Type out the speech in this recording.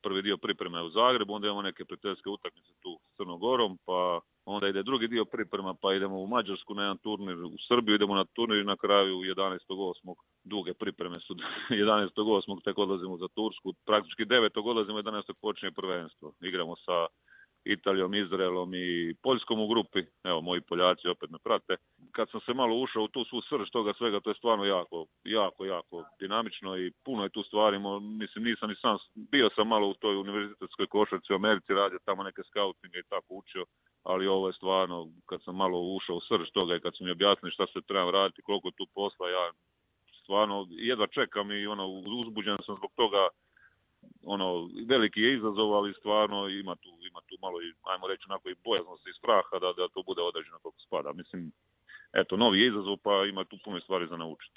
prvi dio pripreme u Zagrebu, onda imamo neke prijateljske utakmice tu s Crnom Gorom, pa onda ide drugi dio priprema, pa idemo u Mađarsku na jedan turnir, u Srbiju idemo na turnir i na kraju 11.8. duge pripreme su 11.8. tek odlazimo za Tursku, praktički 9. odlazimo, 11. počinje prvenstvo. Igramo sa Italijom, Izraelom i Poljskom u grupi, evo moji Poljaci opet me prate. Kad sam se malo ušao u tu svu srž toga svega, to je stvarno jako dinamično i puno je tu stvari, mislim nisam ni sam, bio sam malo u toj univerzitetskoj košarci u Americi, radio tamo neke skautinge i tako učio, ali ovo je stvarno, kad sam malo ušao u srž toga i kad su mi objasnili šta se trebam raditi, koliko je tu posla, ja stvarno jedva čekam i uzbuđen sam zbog toga. Veliki je izazov, ali stvarno ima tu malo i, ajmo reći, onako i bojaznosti i straha da to bude određeno kako spada. Mislim, eto, novi je izazov, pa ima tu puno stvari za naučiti.